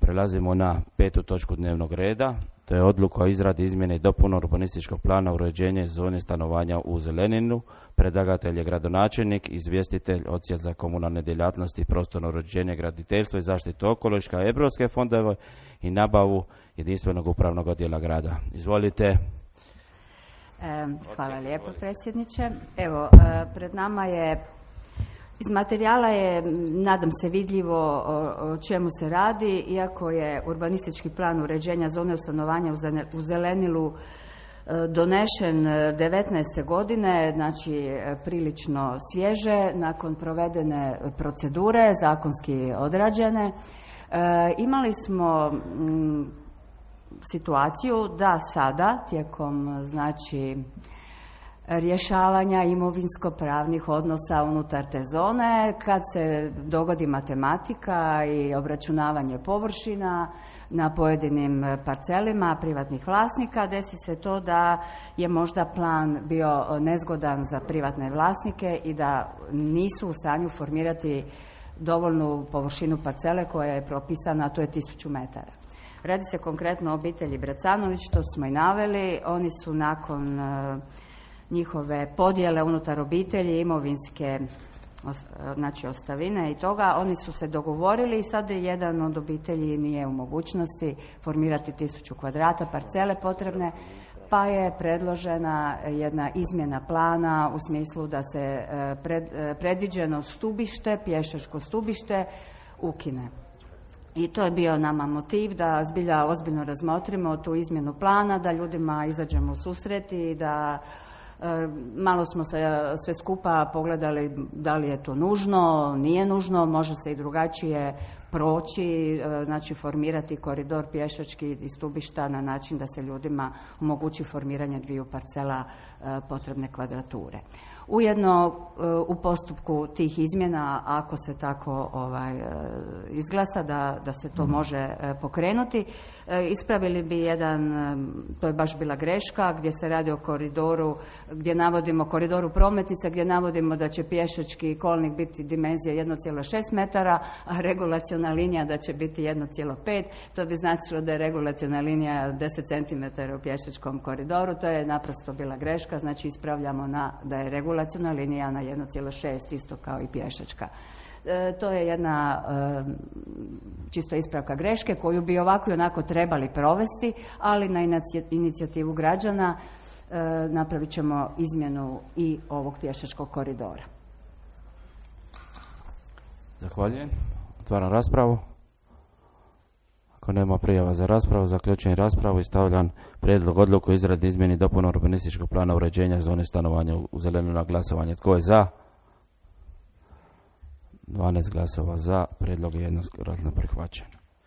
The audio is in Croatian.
Prelazimo na 5. točku dnevnog reda. To je odluka o izradi izmjene i dopune urbanističkog plana uređenja zone stanovanja u Zeleninu. Predlagatelj je gradonačelnik, izvjestitelj Odsjel za komunalne djelatnosti, prostorno uređenje, graditeljstvo i zaštitu okoliša, europske fondove i nabavu jedinstvenog upravnog odjela grada. Izvolite. Hvala lijepo, predsjedniče. Evo, pred nama je, iz materijala je, nadam se, vidljivo o čemu se radi, iako je urbanistički plan uređenja zone stanovanja u Zelenilu donešen 19. godine, znači prilično svježe, nakon provedene procedure, zakonski odrađene. Imali smo situaciju da sada, tijekom znači rješavanja imovinsko-pravnih odnosa unutar te zone, kad se dogodi matematika i obračunavanje površina na pojedinim parcelima privatnih vlasnika, desi se to da je možda plan bio nezgodan za privatne vlasnike i da nisu u stanju formirati dovoljnu površinu parcele koja je propisana, a to je 1000 metara. Radi se konkretno o obitelji Bracanović, što smo i naveli. Oni su nakon njihove podjele unutar obitelji, imovinske, znači ostavine i toga, oni su se dogovorili i sad jedan od obitelji nije u mogućnosti formirati 1000 kvadrata parcele potrebne, pa je predložena jedna izmjena plana u smislu da se predviđeno stubište, pješačko stubište, ukine. I to je bio nama motiv da zbilja ozbiljno razmotrimo tu izmjenu plana, da ljudima izađemo u susret i da malo smo se sve skupa pogledali da li je to nužno, nije nužno, može se i drugačije proći, znači formirati koridor pješački i stubišta na način da se ljudima omogući formiranje 2 parcela potrebne kvadrature. Ujedno u postupku tih izmjena, ako se tako izglasa da se to može pokrenuti, ispravili bi jedan, to je baš bila greška, gdje se radi o koridoru, gdje navodimo koridoru prometnica, gdje navodimo da će pješački kolnik biti dimenzija 1,6 metara, a regulaciona linija da će biti 1,5. To bi značilo da je regulaciona linija 10 cm u pješačkom koridoru. To je naprosto bila greška, znači ispravljamo da je regulaciona linija na 1,6, isto kao i pješačka. To je jedna čisto ispravka greške koju bi ovako i onako trebali provesti, ali na inicijativu građana napravit ćemo izmjenu i ovog pješačkog koridora. Zahvaljujem. Otvaram raspravu. Ako nema prijava za raspravu, zaključujem raspravu i stavljam prijedlog odluku o izradi izmjeni dopuna urbanističkog plana uređenja zone stanovanja u Zeleninu na glasovanje. Tko je za? 12 glasova za. Prijedlog je jednoglasno prihvaćen.